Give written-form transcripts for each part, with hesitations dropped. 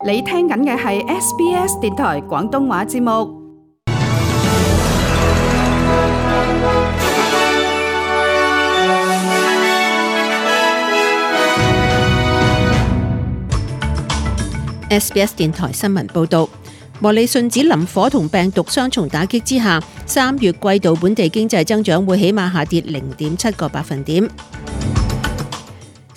你聽緊嘅係 SBS 電台廣東話節目。SBS 電台新聞報導，莫里遜指林火同病毒雙重打擊之下，3月季度本地經濟增長會起碼下跌0.7個百分點。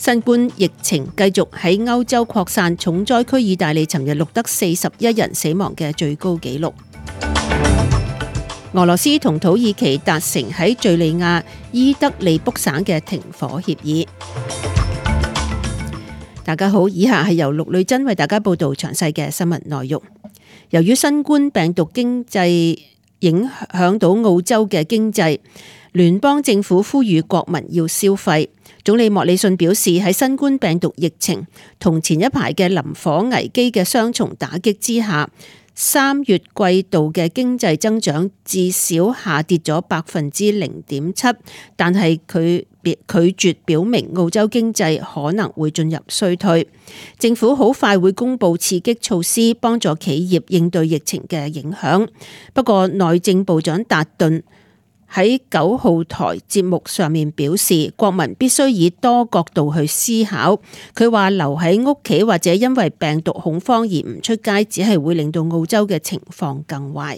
新冠疫情繼續喺歐洲擴散，重災區意大利尋日錄得41人死亡嘅最高紀錄。俄羅斯同土耳其達成喺敘利亞伊德利卜省嘅停火協議。大家好，以下係由陸女珍為大家報道詳細嘅新聞內容。由於新冠病毒經濟影響到澳洲嘅經濟，聯邦政府呼籲國民要消費。總理莫里遜表示，喺新冠病毒疫情同前一排嘅林火危機嘅雙重打擊之下，3月季度嘅經濟增長至少下跌咗0.7%，但係佢拒絕表明澳洲經濟可能會進入衰退。政府好快會公布刺激措施，幫助企業應對疫情嘅影響。不過，內政部長達頓喺9號台節目上面表示，國民必須以多角度去思考。佢話留喺屋企或者因為病毒恐慌而唔出街，只係會令到澳洲嘅情況更壞。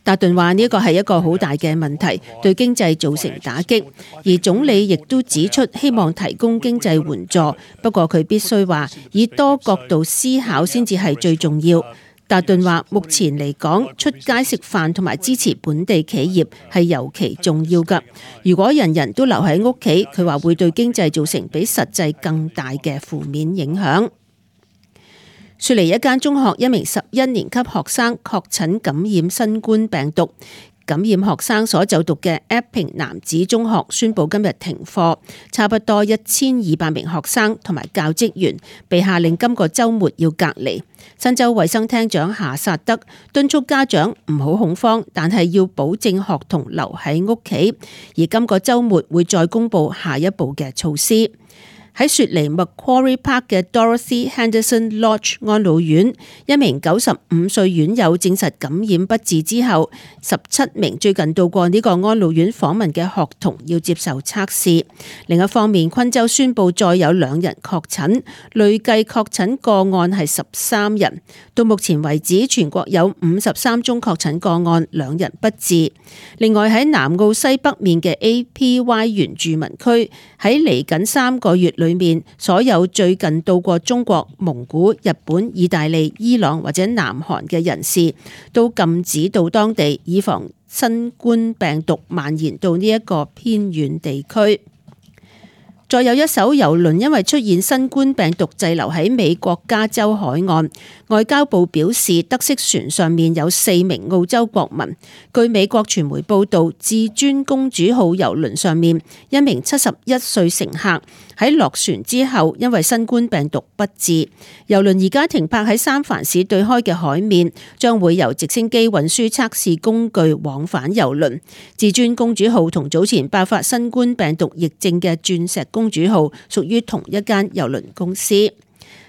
達頓話呢個係一個好大嘅問題，對經濟造成打擊。而總理亦都指出，希望提供經濟援助，不過佢必須話以多角度思考先至係最重要。達頓話：目前嚟講，出街食飯同埋支持本地企業係尤其重要㗎。如果人人都留喺屋企，佢話會對經濟造成比實際更大嘅負面影響。雪梨一間中學一名11年級學生確診感染新冠病毒。感染學生所就讀嘅 Epping 男子中學宣布今日停課，差不多1200名學生同埋教職員被下令今個週末要隔離。新州衛生廳長夏薩德敦促家長唔好恐慌，但係要保證學童留喺屋企，而今個週末會再公布下一步嘅措施。喺雪梨 Macquarie Park 嘅 Dorothy Henderson Lodge 安老院，一名95歲院友證實感染不治之後，17名最近到過呢個安老院訪問嘅學童要接受測試。另一方面，昆州宣布再有2人確診，累計確診個案係13人。到目前為止，全國有53宗確診個案，2人不治。另外喺南澳西北面嘅 APY 原住民區，喺嚟緊3個月裏面，所有最近到過中國、蒙古、日本、意大利、伊朗或者南韓嘅人士，都禁止到當地，以防新冠病毒蔓延到呢一個偏遠地區。再有一艘郵輪因為出現新冠病毒滯留喺美國加州海岸，外交部表示得悉船上面有4名澳洲國民。據美國傳媒報道，至尊公主號郵輪上面一名71歲乘客喺落船之後因為新冠病毒不治。郵輪而家停泊喺三藩市對開嘅海面，將會由直升機運輸測試工具往返郵輪。至尊公主號同早前爆發新冠病毒疫症嘅鑽石公主號屬於同一間郵輪公司。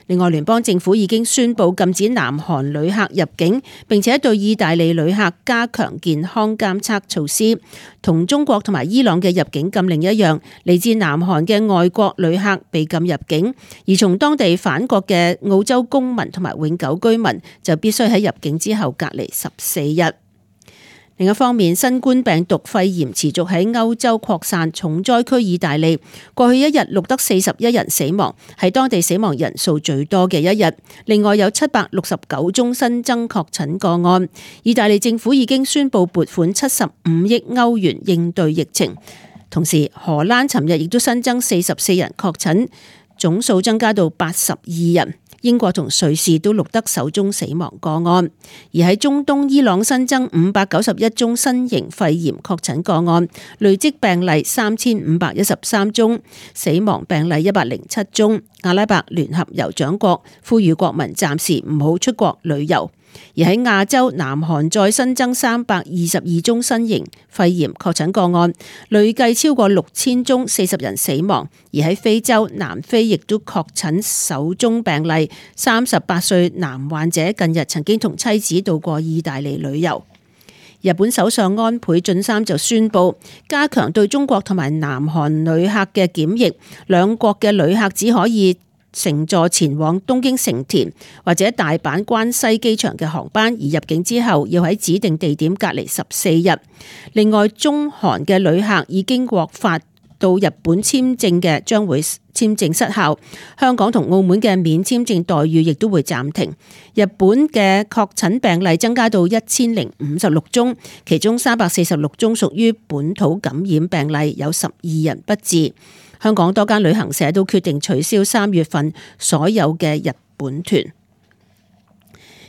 另外，聯邦政府已經宣布禁止南韓旅客入境，並且對意大利旅客加強健康監測措施。同中國同埋伊朗嘅入境禁令一樣，嚟自南韓嘅外國旅客被禁入境，而從當地返國嘅澳洲公民同埋永久居民就必須喺入境之後隔離14日。另一方面，新冠病毒肺炎持續喺歐洲擴散，重災區意大利過去一日錄得41人死亡，係當地死亡人數最多嘅一日。另外有769宗新增確診個案。意大利政府已經宣布撥款75億歐元應對疫情。同時，荷蘭尋日亦都新增44人確診，總數增加到82人。英國同瑞士都錄得首宗死亡個案，而喺中東伊朗新增591宗新型肺炎確診個案，累積病例3513宗，死亡病例107宗。阿拉伯聯合酋長國呼籲國民暫時唔好出國旅遊。而喺亞洲，南韓再新增322宗新型肺炎確診個案，累計超過6000宗，40人死亡。而喺非洲，南非亦都確診首宗病例，38歲男患者近日曾經同妻子到過意大利旅遊。日本首相安倍晉三就宣布加強對中國同埋南韓旅客嘅檢疫，兩國嘅旅客只可以乘坐前往東京成田或者大阪關西機場嘅航班，而入境之後要喺指定地點隔離14日。另外，中韓嘅旅客已經獲發到日本簽證嘅將會簽證失效，香港同澳門嘅免簽證待遇亦都會暫停。日本嘅確診病例增加到1056宗，其中346宗屬於本土感染病例，有12人不治。香港多間旅行社都決定取消3月份所有嘅日本團。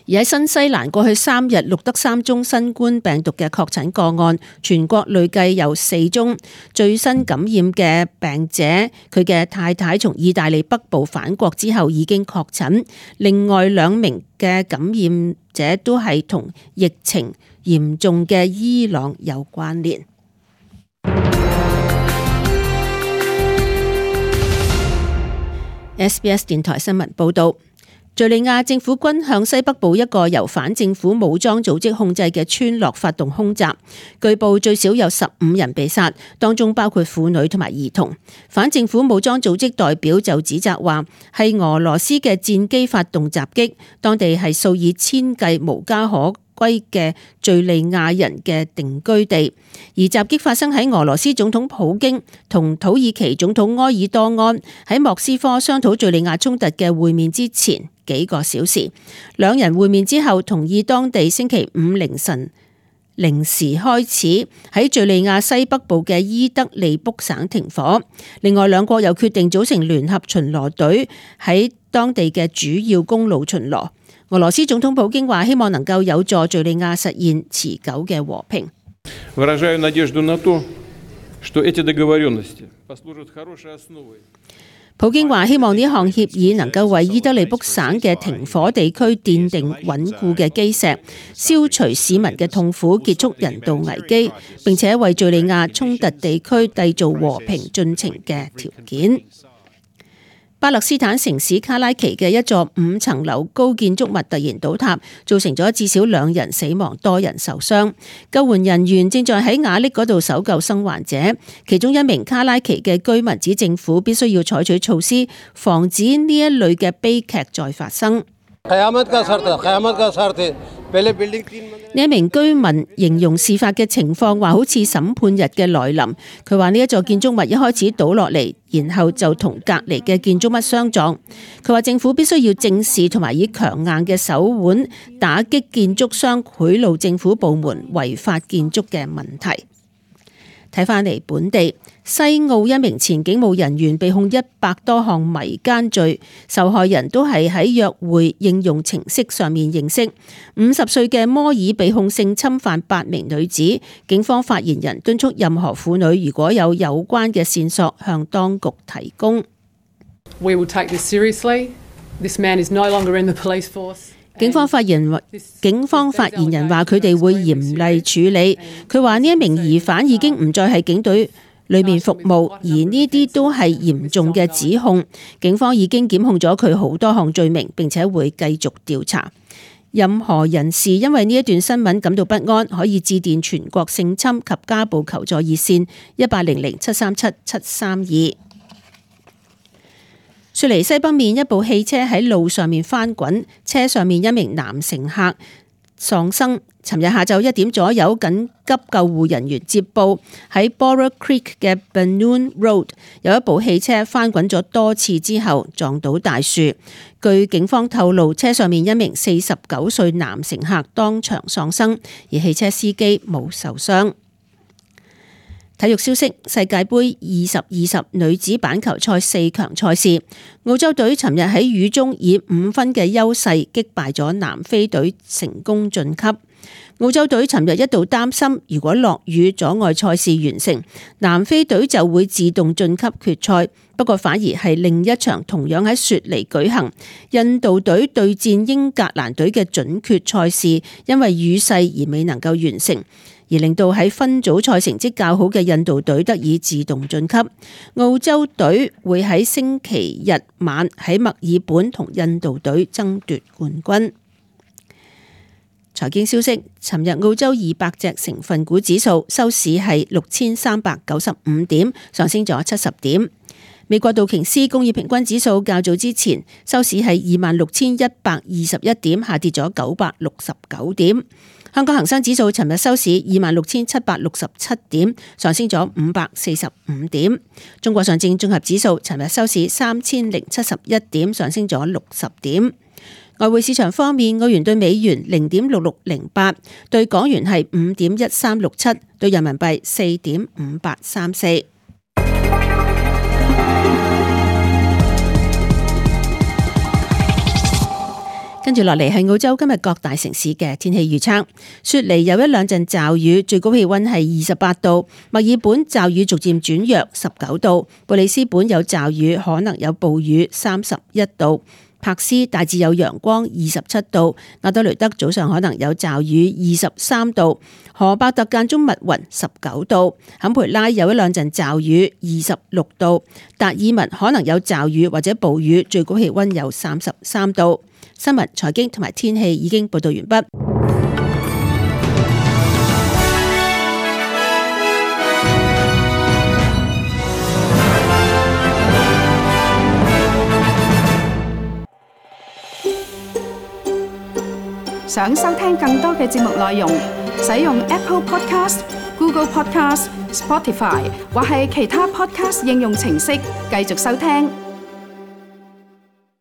而喺新西蘭過去3日錄得3宗新冠病毒嘅確診個案，全國累計有4宗。最新感染嘅病者，佢嘅太太從意大利北部返國之後已經確診，另外2名嘅感染者都係同疫情嚴重嘅伊朗有關聯。SBS 電台新聞報道。敘利亞政府軍向西北部一個由反政府武裝組織控制嘅村落發動空襲，據報最少有15人被殺，當中包括婦女同埋兒童。反政府武裝組織代表就指責話係俄羅斯嘅戰機發動襲擊，當地係數以千計無家可歸嘅敘利亞人嘅定居地，而襲擊發生喺俄羅斯總統普京同土耳其總統埃爾多安喺莫斯科商討敘利亞衝突嘅會面之前幾個小時。兩人會面之後同意當地星期5凌晨0時開始喺敘利亞西北部嘅伊德利卜省停火。另外兩國又決定組成聯合巡邏隊喺當地嘅主要公路巡邏。俄羅斯總統普京話希望能夠有助敘利亞實現持久嘅和平。普京話希望呢項協議能夠為伊德利卜省嘅停火地區奠定穩固嘅基石，消除市民嘅痛苦，結束人道危機，並且為敘利亞衝突地區締造和平進程嘅條件。巴勒斯坦城市卡拉奇嘅一座5層樓高建築物突然倒塌，造成咗至少2人死亡，多人受傷。救援人員正在喺瓦礫嗰度搜救生還者，其中一名卡拉奇嘅居民指政府必須要採取措施，防止呢一類嘅悲劇再發生。呢一名居民形容事發嘅情況話好似審判日嘅來臨。佢話呢一座建築物一開始倒落嚟，然後就同隔離嘅建築物相撞。佢話政府必須要正視同埋以強硬嘅手腕打擊建築商賄賂政府部門違法建築嘅問題。睇返嚟本地，西澳一名前警務人員被控100多項迷姦罪，受害人都係喺約會應用程式上面認識。50歲嘅摩爾被控性侵犯8名女子，警方發言人敦促任何婦女如果有關嘅線索向當局提供。We will take this seriously. This man is no longer in the police force. 警方發言人話佢哋會嚴厲處理。佢話呢一名疑犯已經唔再係警隊裏面服務，而呢啲都係嚴重嘅指控。警方已經檢控咗佢好多項罪名，並且會繼續調查。任何人士因為呢一段新聞感到不安，可以致電全國性侵及家暴求助熱線1800-737-732。雪梨西北面一部汽車喺路上面翻滾，車上面一名男乘客喪生。尋日下晝1點左右，緊急救護人員接報喺 Bora Creek 嘅 Balloon Road 有一部汽車翻滾咗多次之後撞到大樹。據警方透露，車上面一名49歲男乘客當場喪生，而汽車司機冇受傷。體育消息：世界盃2020女子板球賽4強賽事，澳洲隊尋日喺雨中以5分嘅優勢擊敗咗南非隊，成功晉級。澳洲隊尋日一度擔心，如果落雨阻礙賽事完成，南非隊就會自動晉級決賽。不過反而係另一場同樣喺雪梨舉行，印度隊對戰英格蘭隊嘅準決賽事，因為雨勢而未能夠完成，而令到喺分組賽成績較好嘅印度隊得以自動晉級。澳洲隊會喺星期日晚喺墨爾本同印度隊爭奪冠軍。財經消息，尋日澳洲200隻成分股指數收市係6395點，上升咗70點。美國道瓊斯工業平均指數較早之前收市係26,121點，下跌咗969點。香港恒生指數尋日收市26,767點，上升咗545點。中國上證綜合指數尋日收市3,071點，上升咗60點。外匯市場方面，澳元對美元0.6608，對港元係5.1367，對人民幣4.5834。跟住落嚟係澳洲今日各大城市嘅天氣預測。雪梨有一兩陣驟雨，最高氣溫係28度；墨爾本驟雨逐漸轉弱，19度；布里斯本有驟雨，可能有暴雨，31度；柏斯大致有陽光，27度；阿德雷德早上可能有驟雨，23度；荷伯特間中密雲，19度；坎培拉有一兩陣驟雨，26度；達爾文可能有驟雨或者暴雨，最高氣溫有33度。新聞、財經同埋天氣已經報道完畢。想收聽更多嘅節目內容，使用 Apple Podcast、Google Podcast、Spotify 或係其他 Podcast 應用程式繼續收聽。